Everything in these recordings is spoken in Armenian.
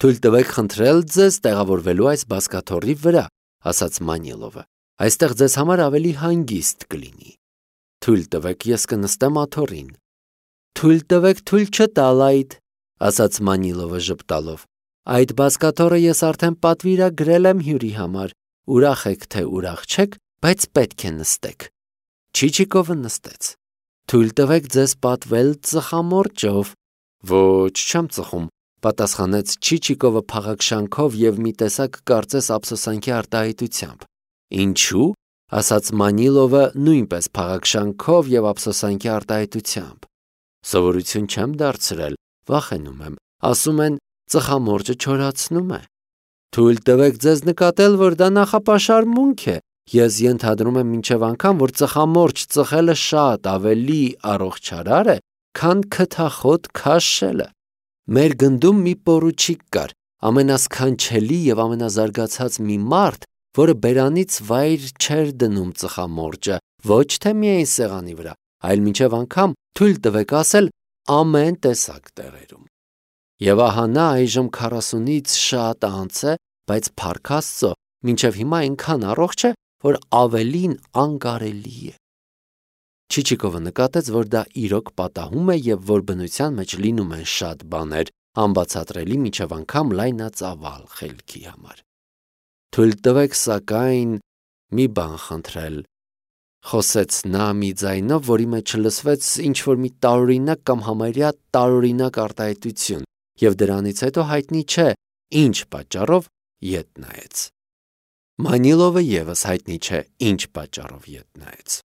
Թույլ տվեք խնդրել ձեզ տեղավորվելու այս բազկաթոռի վրա, ասաց Մանիլովը։ Այստեղ ձեզ համար ավելի հանգիստ կլինի։ Թույլ տվեք, ես կնստեմ աթոռին։ Թույլ տվեք թույլ չտալ այդ, ասաց Մանիլովը ժպտալով։ Այդ բազկաթոռը ես արդեն պատվիրագրել եմ հյուրի համար։ Ուրախ եք, թե ուրախ չեք, բայց պետք է նստեք։ Չիչիկովը նստեց։ Թույլ տվեք ձեզ պատվել ծխամորճով։ Ոչ, չեմ ծխում, պատասխանեց Չիչիկովը փաղաքշանքով եւ մի տեսակ կարծես ափսոսանքի արտահայտությամբ։ Ինչու՞, ասաց Մանիլովը նույնպես փաղաքշանքով եւ ափսոսանքի արտահայտությամբ։ Սովորություն չեմ դարձրել, վախենում եմ, ասում են ծխամորճը չորացնում է։ Թույլ տվեք ձեզ նկատել, որ դա նախապաշարմունք է։ Ես ենթադրում եմ մինչև անգամ, որ ծխամորճ ծխելը շատ ավելի առողջարար է, քան քթախոտ քաշելը։ Մեր գնդում մի պորուչիկ կար, ամենասքանչելի եւ ամենազարգացած մի մարդ, որը բերանից վայր չէր դնում ծխամորճը, ոչ թե միայն սեղանի վրա, այլ մինչև անգամ թույլ տվեք ասել ամեն տեսակ տեղերում։ Եվ ահա նա այժմ 40-ից շատ անց է, բայց փառք Աստծո, մինչև հիմա այնքան առողջ է, որ ավելին անկարելի է։ Չիչիկովը նկատեց, որ դա իրոք պատահում է եւ որ բնության մեջ լինում են շատ բաներ, անբացատրելի մինչև անգամ լայնածավալ խելքի համար։ Թույլ տվեք սակայն մի բան խնդրել, խոսեց նա մի ձայնով, որի մեջ լսվեց ինչ-որ մի տարօրինակ կամ համարյա տարօրինակ արտահայտություն, եւ դրանից հետո հայտնի չէ, ինչ պատճառով ետ նայեց։ Մանիլովը եւս հայտնի չէ, ինչ պատճառով ետ նայեց։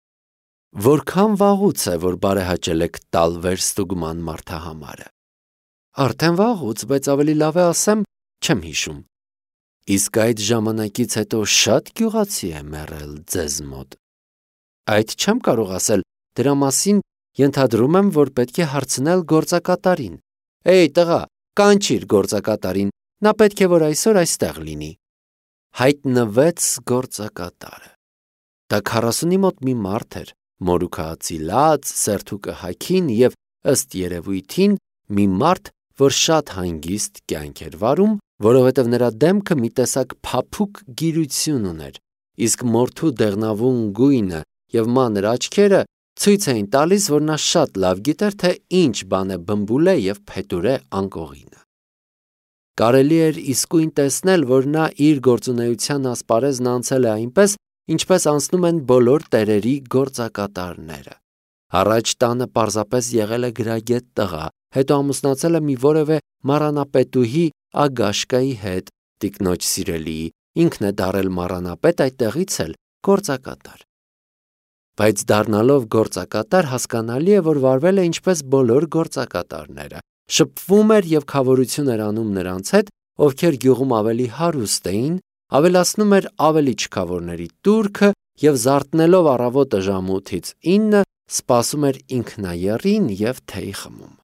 Որքան վաղուց է, որ բարեհաճել եք տալ վերստուգման մարդահամարը։ Արդեն վաղուց, բայց ավելի լավ է ասեմ, չեմ հիշում։ Իսկ այդ ժամանակից հետո շատ գյուղացի է մեռել ձեզ մոտ։ Այդ չեմ կարող ասել, դրա մասին ենթադրում եմ, որ պետք է հարցնել գործակատարին։ Էй, տղա, կանչիր գործակատարին, նա պետք է որ այսօր այստեղ լինի։ Հայտնվեց գործակատարը։ Դա 40-ի մոտ մի մարդ էր, մորուքածիլած, սերթուկը հագին եւ ըստ երևույթին մի մարդ, որ շատ հանգիստ կյանք էր վարում, որովհետև նրա դեմքը մի տեսակ փափուկ գիրություն ուներ, իսկ մորթու դեղնավուն գույնը եւ մանր աչքերը ցույց էին տալիս, որ նա շատ լավ գիտեր, թե ինչ բան է բմբուլե եւ փետուրե անկողինը։ Կարելի էր իսկույն տեսնել, որ նա իր գործունեության ասպարեզն անցել է այնպես, ինչպես անցնում են բոլոր տերերի գործակատարները։ Առաջ տանը պարզապես եղել է գրագետ տղա, հետո ամուսնացել է մի որևէ մառանապետուհի Ագաշկայի հետ, տիկնոջ սիրելիի, ինքն է դարել մառանապետ, այդտեղից էլ գործակատար։ Բայց դառնալով գործակատար հասկանալի է, որ վարվել է ինչպես բոլոր գործակատարները, շփվում էր եւ քավորություն էր անում նրանց հետ, ովքեր գյուղում ավելի հարուստ էին, ավելացնում էր ավելի չքավորների турքը եւ զարթնելով առավոտը ժամը 8-ից 9 սպասում էր ինքնաեռին եւ թեյ խմում։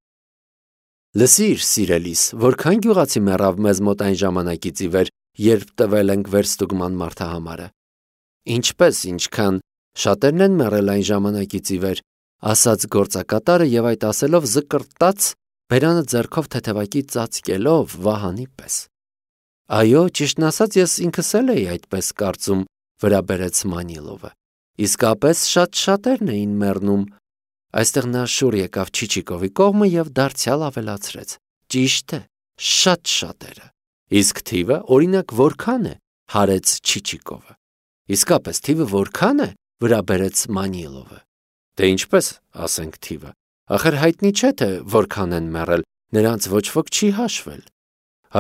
Լսիր, սիրելիս, որքան գյուղացի մեռավ մեզ մոտ այն ժամանակից ի վեր, երբ տվել ենք վերստուգման մարդահամարը։ Ինչպես, ինչքան շատերն են մեռել այն ժամանակից ի վեր, ասաց գործակատարը եւ այդ ասելով զկրտաց, բերանը ձեռքով թեթևակի ծածկելով Վահանի պես։ Այո, ճիշտն ասած, ես ինքս էլ էի այդպես կարծում, վրա բերեց Մանիլովը։ Իսկապես շատ շատերն էին մեռնում։ Այստեղ նա շուռ եկավ Չիչիկովի կողմը եւ դարձյալ ավելացրեց. Ճիշտ է, շատ շատերը։ Իսկ թիվը, օրինակ, որքան է, հարեց Չիչիկովը։ Իսկապես թիվը որքան է, վրա բերեց Մանիլովը։ Դե ինչպես, ասենք թիվը։ Ախր հայտնի չէ թե որքան են մեռել, նրանց ոչ ոք չի հաշվել։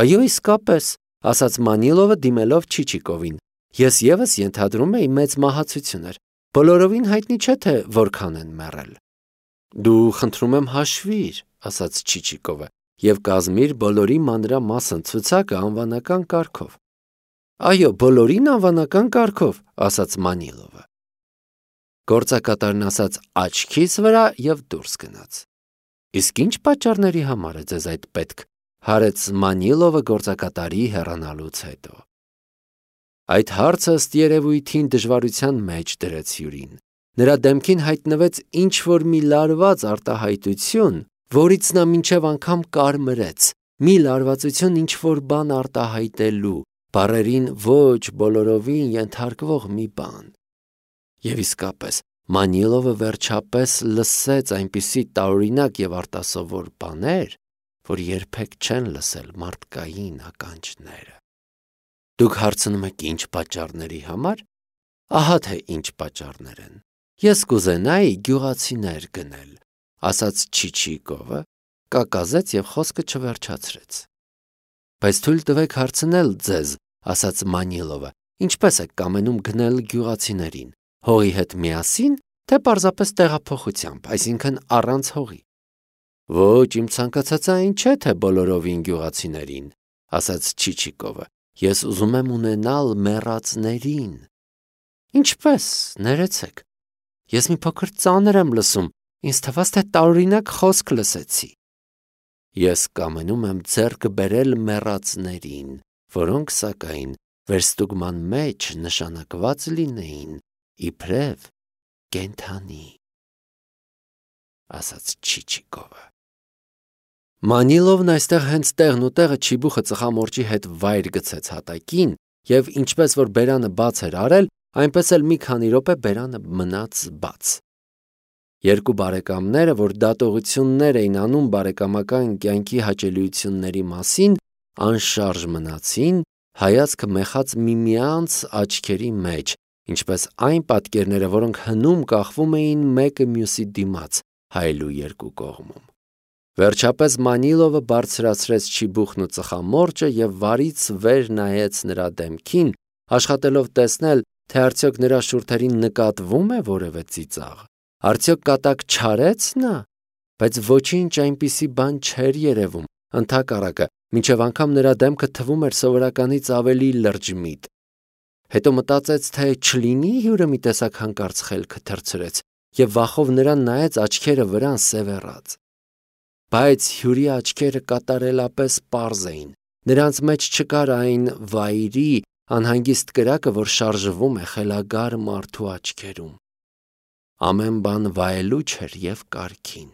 Այո, իսկապես, ասաց Մանիլովը դիմելով Չիչիկովին։ Ես եւս ենթադրում էի մեծ մահացություններ։ Բոլորովին հայտնի չէ թե որքան են մեռել։ Դու խնդրում եմ հաշվիր, ասաց Չիչիկովը, եւ կազմիր բոլորի մանրամասն ցուցակը անվանական կարգով։ Այո, բոլորին անվանական կարգով, ասաց Մանիլովը։ Գործակատարն ասաց աչքիս վրա եւ դուրս գնաց։ Իսկ ինչ պատճառների համար է ձեզ այդ պետք, հարեց Մանիլովը գործակատարի հեռանալուց հետո։ Այդ հարցը ըստ երևույթին դժվարության մեջ դրեց հյուրին։ Նրա դեմքին հայտնվեց ինչ-որ մի լարված արտահայտություն, որից նա մինչև անգամ կարմրեց, մի լարվածություն ինչ-որ բան արտահայտելու, բառերին ոչ բոլորովին ենթարկվող մի բան։ Եվ իսկապես, Մանիլովը վերջապես լսեց այնպիսի տարօրինակ եւ արտասովոր բաներ, որ երբեք չեն լսել մարդկային ականջները։ Դուք հարցնում եք ինչ պատճառների համար։ Ահա թե ինչ պատճառներ են։ Ես կուզենայի գյուղացիներ գնել, ասաց Չիչիկովը, կակազեց եւ խոսքը չվերջացրեց։ Բայց թույլ տվեք հարցնել ձեզ, ասաց Մանիլովը, ինչպես եք կամենում գնել գյուղացիներին, հողի հետ միասին, թե պարզապես տեղափոխությամբ, այսինքն առանց հողի։ Ոչ, իմ ցանկացածը այն չէ, թե բոլորովին գյուղացիներին, ասաց Չիչիկովը, ես ուզում եմ ունենալ մեռածներին։ Ինչպես, ներեցեք, ես մի փոքր ծանր եմ լսում, ինձ թվաց, թե տարօրինակ խոսք լսեցի։ Ես կամենում եմ ձեռք բերել մեռածներին, որոնք սակայն վերստուգման մեջ նշանակված լինեին իբրև կենդանի, ասաց Չիչիկովը։ Մանիլովն այստեղ հենց տեղն ու տեղը չիբուխը ծխամորճի հետ վայր գցեց հատակին, եւ ինչպես որ բերանը բաց էր արել, այնպես էլ մի քանի րոպե բերանը մնաց բաց։ Երկու բարեկամները, որ դատողություններ էին անում բարեկամական կյանքի հաճելիությունների մասին, անշարժ մնացին, հայացքը մեխած միմյանց աչքերի մեջ, ինչպես այն պատկերները, որոնք հնում կախվում էին մեկը մյուսի դիմաց, հայելու երկու կողմում։ Վերջապես Մանիլովը բարձրացրեց չիբուխն ու ծխամորճը եւ վարից վեր նայեց նրա դեմքին, աշխատելով տեսնել, թե արդյոք նրա շուրթերին նկատվում է որևէ ծիծաղ։ Արդյոք կատակ չարեց նա, բայց ոչինչ այնպիսի բան չէր երևում, ընդհակառակը, մինչև անգամ նրա դեմքը թվում էր սովորականից ավելի լրջմիտ։ Հետո մտածեց, թե չլինի հյուրը մի տեսակ հանկարծ խելքը թռցրեց եւ վախով նրան նայեց աչքերը վրան սևեռած։ Բայց հյուրի աչքերը կատարելապես պարզ էին, նրանց մեջ չկար այն վայրի անհանգիստ կրակը, որ շարժվում է խելագար մարդու աչքերում։ Ամեն բան վայելուչ էր եւ կարգին։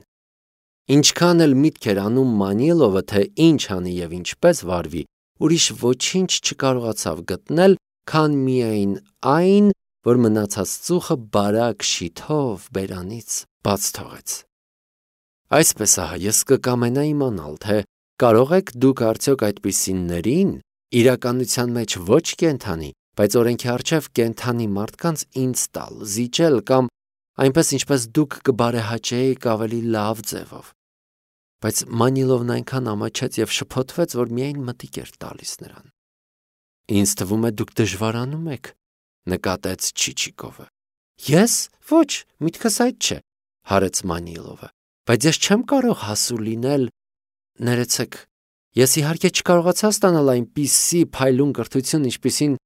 Ինչքան էլ միտք էր անում Մանիլովը, թե ինչ անի եւ ինչպես վարվի, ուրիշ ոչինչ չկարողացավ գտնել, քան միայն այն, որ մնացած ծուխը բարակ շիթով բերանից բաց թողեց։ Այսպես ահա ես կկամենայի իմանալ, թե կարող եք դուք արդյոք այդպիսիներին իրականության մեջ ոչ կենդանի, բայց օրենքի առջև կենդանի մարդկանց ինձ տալ, զիջել կամ այնպես ինչպես դուք կբարեհաճեիք ավելի լավ ձևով։ Բայց Մանիլովն այնքան ամաչեց եւ շփոթվեց, որ միայն մտիկ էր տալիս նրան։ Ինձ թվում է դուք դժվարանում եք, նկատեց Չիչիկովը։ Ես? Ոչ, միտքս այդ չէ, հարեց Մանիլովը։ Բայց ես չեմ կարող հասու լինել, ներեցեք, ես իհարկե չկարողացա ստանալ այնպիսի փայլուն կրթություն, ինչպիսին,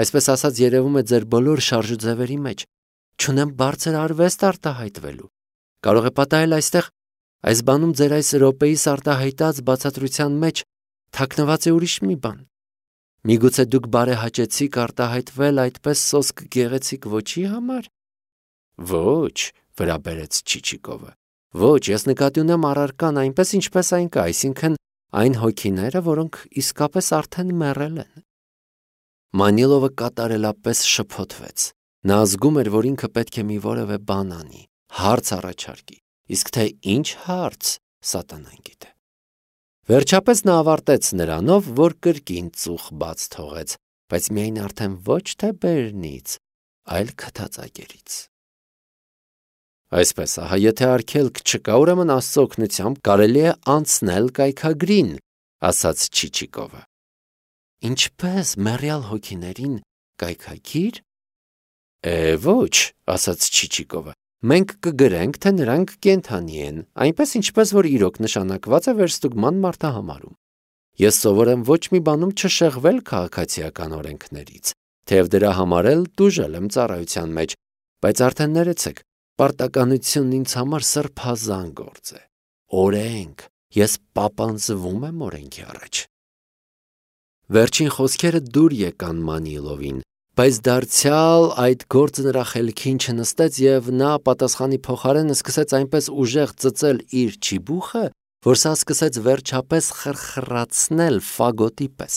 այսպես ասած, երևում է ձեր բոլոր շարժուձևերի մեջ, չունեմ բարձր արվեստ արտահայտվելու, կարող է պատահել այստեղ, այս բանում ձեր այս րոպեիս արտահայտած բացատրության մեջ թաքնված է ուրիշ մի բան, միգուցե դուք բարեհաճեցիք արտահայտվել այդպես սոսկ գեղեցիկ ոչի համար։ Ոչ, վրա բերեց Չիչիկովը։ Ոչ, ես նկատի ունեմ առարկան այնպես, ինչպես այն կա, այսինքն այն հոգիները, որոնք իսկապես արդեն մեռել են։ Մանիլովը կատարելապես շփոթվեց։ Նա զգում էր, որ ինքը պետք է մի որևէ բան անի, հարց առաջարկի, իսկ թե ինչ հարց, սատանան գիտե։ Վերջապես նա ավարտեց նրանով, որ կրկին ծուխ բաց թողեց, բայց միայն արդեն ոչ թե բերնից, այլ քթածակերից։ Այսպես, ահա, եթե արգելք չկա, ուրեմն Աստծո օգնությամբ կարելի է անցնել կայքագրին, ասաց Չիչիկովը։ Ինչպես մեռյալ հոգիներին կայքագիր։ Ոչ, ասաց Չիչիկովը, մենք կգրենք, թե նրանք կենդանի են, այնպես ինչպես որ իրոք նշանակված է վերստուգման մարտահամարում։ Ես սովոր եմ ոչ մի բանում չշեղվել քաղաքացիական օրենքներից, թեև դրա համար էլ տուժել եմ ծառայության մեջ, բայց արդեն ներեցեք, պարտականությունն ինձ համար սրբազան գործ է։ Օրենք, ես պապանձվում եմ օրենքի առաջ։ Վերջին խոսքերը դուր եկան Մանիլովին, բայց դարձյալ այդ գործը նրա խելքին չնստեց եւ նա պատասխանի փոխարեն սկսեց այնպես ուժեղ ծծել իր չիբուխը, որ սա սկսեց վերջապես խրխրացնել ֆագոտի պես։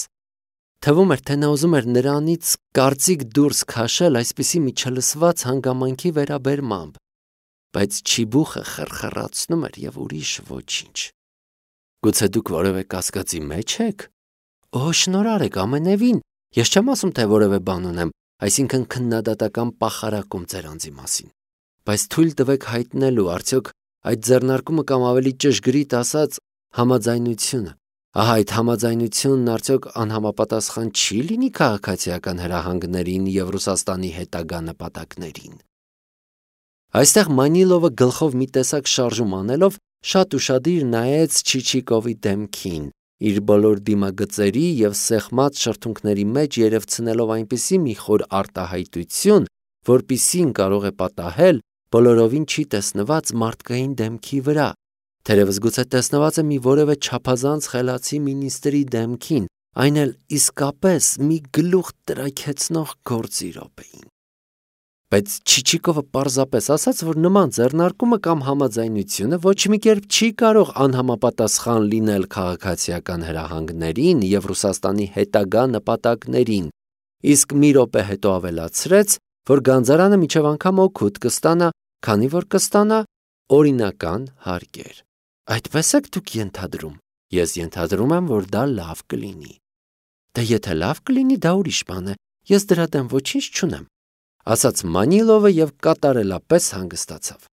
Թվում էր, թե նա ուզում էր նրանից կարծիք դուրս քաշել այսպիսի մի չլսված հանգամանքի վերաբերմամբ, բայց չիբուխը խրխրացնում էր և ուրիշ ոչինչ։ Գուցե դուք որևէ կասկածի մեջ եք։ Օ, շնորհարեք, ամենևին, ես չեմ ասում, թե որևէ բան ունեմ, այսինքն քննադատական պախարակում ձեր անձի մասին, բայց թույլ տվեք հայտնելու արդյոք այդ ձեռնարկումը կամ ավելի ճշգրիտ ասած համաձայնությունը, ահա այդ համաձայնությունն արդյոք անհամապատասխան չի լինի քաղաքացիական հրահանգներին և Ռուսաստանի հետագա նպատակներին։ Այստեղ Մանիլովը գլխով մի տեսակ շարժում անելով շատ ուշադիր նայեց Չիչիկովի դեմքին, իր բոլոր դիմագծերի և սեղմած շրթունքների մեջ երևցնելով այնպիսի մի խոր արտահայտություն, որպիսին կարող է պատահել բոլորովին չի տեսնված մարդկային դեմքի վրա, թերևս գուցե տեսնված է մի որևէ չափազանց խելացի մինիստրի դեմքին, այն էլ իսկապես մի գլուխ տրաքեցնող գործի րոպեին։ Բայց Չիչիկովը պարզապես ասաց, որ նման ձեռնարկումը կամ համաձայնությունը ոչ մի կերպ չի կարող անհամապատասխան լինել քաղաքացիական հրահանգներին և Ռուսաստանի հետագա նպատակներին, իսկ մի րոպե հետո ավելացրեց, որ գանձարանը մինչև անգամ օգուտ կստանա, քանի որ կստանա օրինական հարկեր։ Այդպես եք դուք ենթադրում։ Ես ենթադրում եմ, որ դա լավ կլինի։ Դե եթե լավ կլինի, դա ուրիշ բան է, ես դրա դեմ ոչինչ չունեմ, ասաց Մանիլովը և կատարելապես հանգստացավ։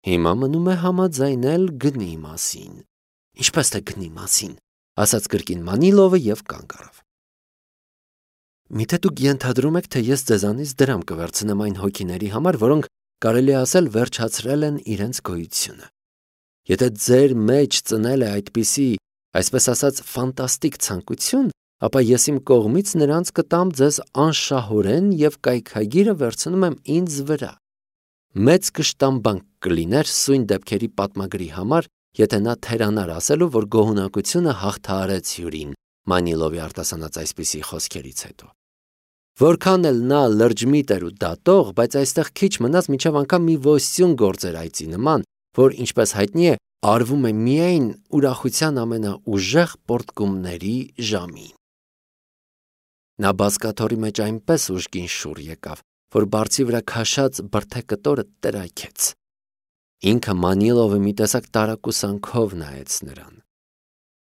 Հիմա մնում է համաձայնել գնի մասին։ Ինչպես թե գնի մասին, ասաց կրկին Մանիլովը և կանգ առավ։ Միթե դուք ենթադրում եք, թե ես ձեզանից դրամ կվերցնեմ այն հոգիների համար, որոնք կարելի է ասել վերջացրել են իրենց գոյությունը։ Եթե ձեր մեջ ծնել է այդպիսի, այսպես ասած, ֆանտաստիկ ցանկություն, ապա ես իմ կողմից նրանց կտամ ձեզ անշահորեն և կայքագիրը վերցնում եմ ինձ վրա։ Մեծ կշտամբանք կլիներ սույն դեպքերի պատմագրի համար, եթե նա թերանար ասելու, որ գոհունակությունը հաղթահարեց հյուրին Մանիլովի արտասանած այսպիսի խոսքերից հետո։ Որքան էլ նա լրջմիտ էր ու դատող, բայց այստեղ քիչ մնաց մինչև անգամ մի ոստյուն գործեր այծի նման, որ, ինչպես հայտնի է, արվում է միայն ուրախության ամենաուժեղ պոռթկումների ժամին։ Նա բազկաթոռի մեջ այնպես ուժգին շուռ եկավ, որ բարձի վրա քաշած բրդե կտորը տրաքեց։ Ինքը Մանիլովը մի տեսակ տարակուսանքով նայեց նրան։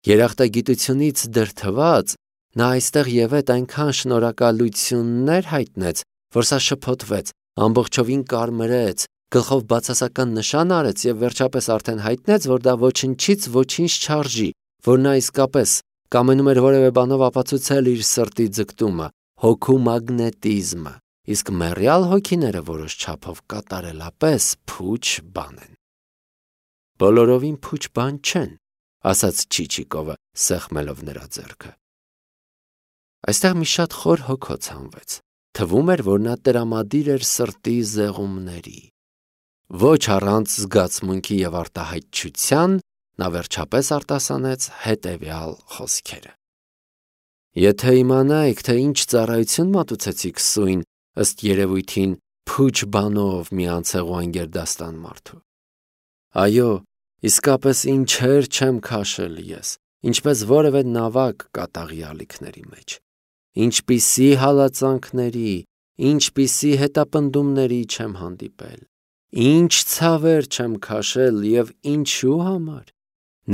Երախտագիտությունից դրդված նա այստեղ և այդ այնքան շնորհակալություններ հայտնեց, որ սա շփոթվեց, ամբողջովին կարմրեց, գլխով բացասական նշան արեց և վերջապես արդեն հայտնեց, որ դա ոչնչից ոչինչ չարժի, որ նա իսկապես կամենում էր որևէ բանով ապացուցել իր սրտի ձգտումը, հոգու մագնետիզմը, իսկ մեռյալ հոգիները որոշ չափով կատարելապես փուչ բան են։ Բոլորովին փուչ բան չեն, ասաց Չիչիկովը, սեղմելով նրա ձեռքը։ Այստեղ մի շատ խոր հոգոց հանվեց։ Թվում էր, որ նա տրամադիր էր սրտի զեղումների։ Ոչ առանց զգացմունքի և արտահայտչության նա վերջապես արտասանեց հետևյալ խոսքերը. Եթե իմանայիք, թե ինչ ծառայություն մատուցեցիք սույն, ըստ երևույթին, փուչ բանով մի անցեղու անգերդաստան մարդու։ Այո, իսկապես ինչեր չեմ քաշել ես, ինչպես որևէ նավակ կատաղի ալիքների մեջ, ինչպիսի հալածանքների, ինչպիսի հետապնդումների չեմ հանդիպել, ինչ ցավեր չեմ քաշել և ինչու համար,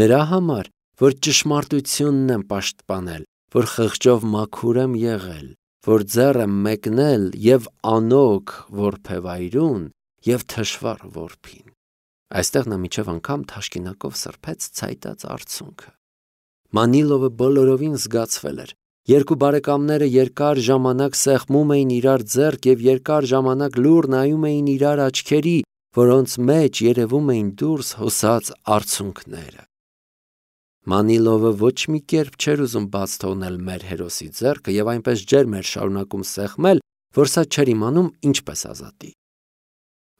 նրա համար, որ ճշմարտությունն եմ պաշտպանել, որ խղճով մաքուր եմ եղել, որ ձեռ եմ մեկնել և անոք որբևայրուն և թշվառ որբին։ Այստեղ նա մինչև անգամ թաշկինակով սրբեց ցայտած արցունքը։ Մանիլովը բոլորովին զգացվել էր։ Երկու բարեկամները երկար ժամանակ սեղմում էին իրար ձեռք և երկար ժամանակ լուռ նայում էին իրար աչքերի, որոնց մեջ երևում էին դուրս հոսած արցունքները։ Մանիլովը ոչ մի կերպ չէր ուզում բաց թողնել մեր հերոսի ձեռքը և այնպես ջերմ էր շարունակում սեղմել, որ սա չէր իմանում ինչպես ազատի։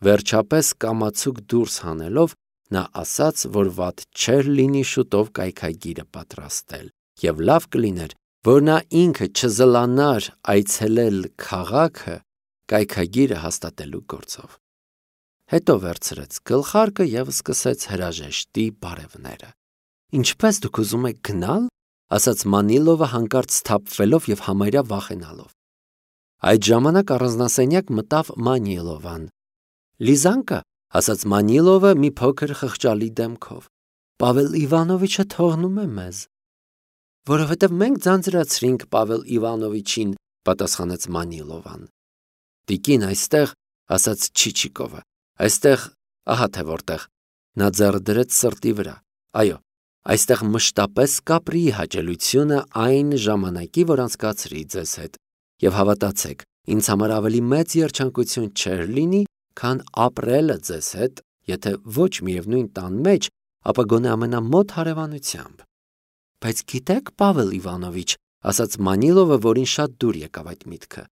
Վերջապես կամացուկ դուրս հանելով նա ասաց, որ վատ չէր լինի շուտով կայքագիրը պատրաստել և լավ կլիներ, որ նա ինքը չզլանար այցելել քաղաքը կայքագիրը հաստատելու գործով։ Հետո վերցրեց գլխարկը և սկսեց հրաժեշտի բարևները։ Ինչպես դուք ուզում եք գնալ, ասաց Մանիլովը հանկարծ սթափվելով եւ համարյա վախենալով։ Այդ ժամանակ առանձնասենյակ մտավ Մանիլովան։ Լիզանկա, ասաց Մանիլովը մի փոքր խղճալի դեմքով։ Պավել Իվանովիչը թողնում է մեզ։ Որովհետև մենք ձանձրացրինք Պավել Իվանովիչին, պատասխանեց Մանիլովան։ Տիկին այստեղ, ասաց Չիչիկովը, այստեղ, ահա թե որտեղ, նա ձեռը դրեց սրտի վրա։ Այո, այստեղ մշտապես կապրի հաճելությունը այն ժամանակի, որ անցկացրի ձեզ հետ, եւ հավատացեք, ինձ համար ավելի մեծ երջանկություն չէր լինի, քան ապրելը ձեզ հետ, եթե ոչ միևնույն տան մեջ, ապա գոնե ամենամոտ հարևանությամբ։ Բայց գիտեք, Պավել Իվանովիչ, ասաց Մանիլովը, որին շատ դուր եկավ այդ միտքը,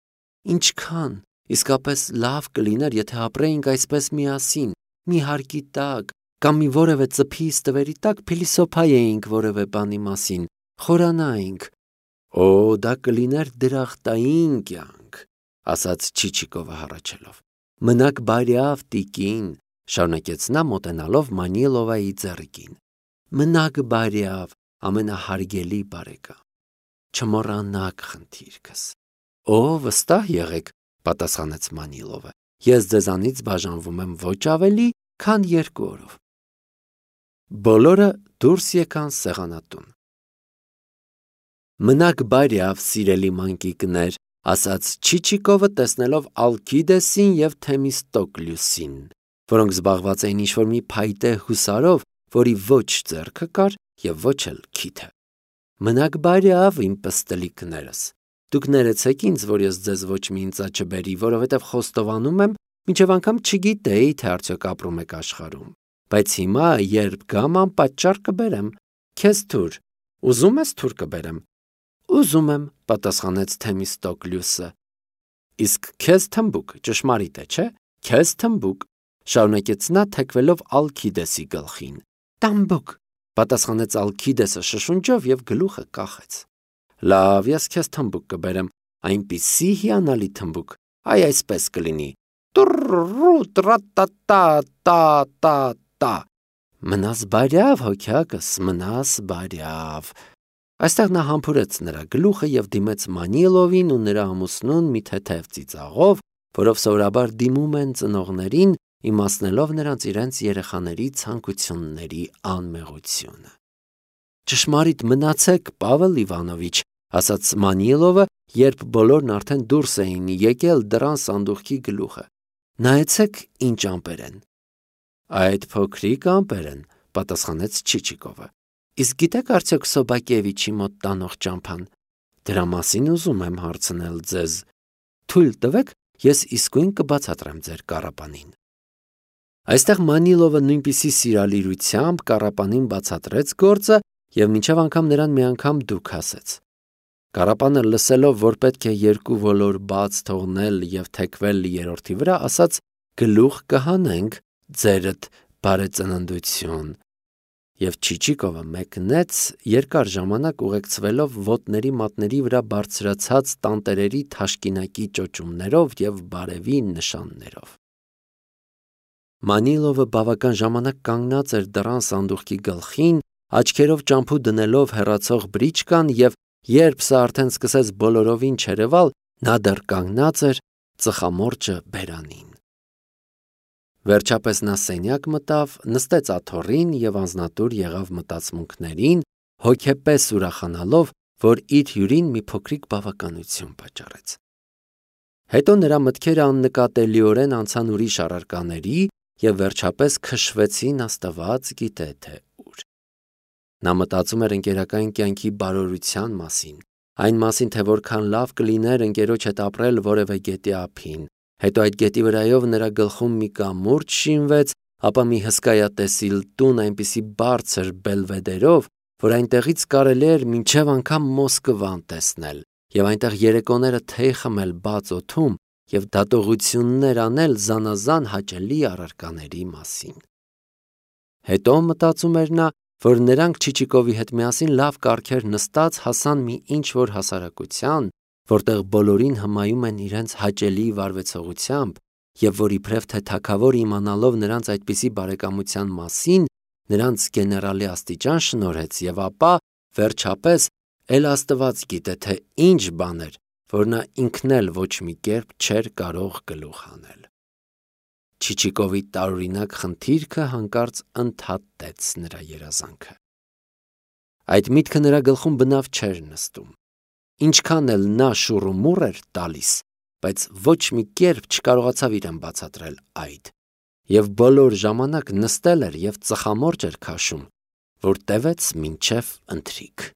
ինչքան իսկապես լավ կլիներ, եթե ապրեինք այսպես միասին, մի հարկի տակ, կամ մի որևէ ծփի ստվերի տակ փիլիսոփայեինք որևէ բանի մասին, խորանայինք։ Օ, դա կլիներ դրախտային կյանք, ասաց Չիչիկովը հառաչելով։ Մնաք բարյավ, տիկին, շարունակեց նա մոտենալով Մանիլովայի ձեռքին։ Մնաք բարյավ, ամենահարգելի բարեկամ։ Չմոռանաք խնդիրքս։ Օ, վստահ եղեք, պատասխանեց Մանիլովը։ Ես ձեզանից բաժանվում եմ ոչ ավելի, քան 2 օրով։ Բոլորը դուրս եկան սեղանատուն։ Մնաք բարյավ, սիրելի մանկիկներ, ասաց Չիչիկովը, տեսնելով Ալքիդեսին եւ Թեմիստոկլյուսին, որոնք զբաղված էին ինչ-որ մի փայտե հուսարով, որի ոչ ձեռքը կար եւ ոչ էլ քիթը։ Մնաք բարյավ, իմ պստլիկներս։ Դուք ներեցեք ինձ, որ ես ձեզ ոչ մի ինձա չբերի, որովհետև խոստովանում եմ, մինչև անգամ չգիտեի, թե արդյոք ապրում եք աշխարհում։ Բայց հիմա, երբ գամ, անպատճառ կբերեմ։ Քեզ թուր։ Ուզում ես թուր կբերեմ։ Ուզում եմ, պատասխանեց Թեմիստոկլյուսը։ Իսկ քեզ թմբուկ, ճշմարիտ է, չէ՞։ Քեզ թմբուկ, շարունակեց նա, թեքվելով Ալքիդեսի գլխին։ Տամբուկ, պատասխանեց Ալքիդեսը շշունջով եւ գլուխը կախեց։ Լավ, ես քեզ թմբուկ կբերեմ, այնպիսի հիանալի թմբուկ, այ այսպես կլինի։ Տուռ-ռու-տրա-տա-տա-տա-տա։ Մնաս բարյավ, հոգյակս, մնաս բարյավ։ Այստեղ նա համբուրեց նրա գլուխը եւ դիմեց Մանիլովին ու նրա ամուսնուն մի թեթև ծիծաղով, որով սովորաբար դիմում են ծնողներին, իմացնելով նրանց իրենց երեխաների ցանկությունների անմեղությունը։ Ճշմարիտ մնացեք, Պավել Իվանովիչ, ասաց Մանիլովը, երբ բոլորն արդեն դուրս էին եկել դռան սանդուղքի գլուխը։ Նայեցեք, ինչ ամպեր են։ Այդ փոքրիկ ամպեր են, պատասխանեց Չիչիկովը։ Իսկ գիտեք արդյոք Սոբակևիչի մոտ տանող ճամփան։ Դրա մասին ուզում եմ հարցնել ձեզ։ Թույլ տվեք, ես իսկույն կբացատրեմ ձեր կառապանին։ Այստեղ Մանիլովը նույնպիսի սիրալիրությամբ կառապանին բացատրեց գործը եւ մինչև անգամ նրան մի անգամ դուք ասեց։ Կառապանը լսելով, որ պետք է 2 ոլոր բաց թողնել եւ թեքվել 3-րդի վրա, ասաց. գլուխ կհանենք ձերդ բարեծննդություն։ Եվ Չիչիկովը մեկնեց երկար ժամանակ ուղեկցվելով ոտների մատների վրա բարձրացած տանտերերի թաշկինակի ճոճումներով եւ բարևի նշաններով։ Մանիլովը բավական ժամանակ կանգնած էր դռան սանդուղքի գլխին, աչքերով ճամփու դնելով հեռացող բրիչկան եւ երբ սա արդեն սկսեց բոլորովին չերևալ, նա դեռ կանգնած էր ծխամորճը բերանին։ Վերջապես նա սենյակ մտավ, նստեց աթոռին եւ անձնատուր եղավ մտածմունքներին, հոգեպես ուրախանալով, որ իր հյուրին մի փոքրիկ բավականություն պատճառեց։ Հետո նրա մտքերը աննկատելիորեն անցան ուրիշ առարկաների եւ վերջապես քշվեցին աստված գիտե թե ուր։ Նա մտածում էր ընկերական կյանքի բարօրության մասին, այն մասին, թե որքան լավ կլիներ ընկերոջ հետ ապրել որևէ գետի ափին։ Հետո այդ գետի վրայով նրա գլխում մի կամուրջ շինվեց, ապա մի հսկայատեսիլ տուն այնպիսի բարձր բելվեդերով, որ այնտեղից կարելի էր մինչև անգամ Մոսկվան տեսնել, եւ այնտեղ երեկոները թեյ խմել բաց օդում եւ դատողություններ անել զանազան հաճելի առարկաների մասին։ Հետո մտածում էր նա, որ նրանք Չիչիկովի հետ միասին լավ կարգեր նստած հասան մի ինչ-որ հասարակության, որտեղ բոլորին հմայում են իրենց հաճելի վարվեցողությամբ, եւ որ իբրև թե թագավոր իմանալով նրանց այդպիսի բարեկամության մասին, նրանց գեներալի աստիճան շնորհեց եւ ապա վերջապես էլ Աստված գիտե թե ինչ բան էր, որ նա ինքն էլ ոչ մի կերպ չէր կարող գլուխ հանել։ Չիչիկովի տարօրինակ խնդիրքը հանկարծ ընդհատեց նրա երազանքը։ Այդ միտքը նրա գլխում բնավ չէր նստում։ Ինչքան էլ նա շուռումուռ էր տալիս, բայց ոչ մի կերպ չկարողացավ իրեն բացատրել այդ, եւ բոլոր ժամանակ նստել էր եւ ծխամորճ էր քաշում, որ տևեց մինչև ընթրիք։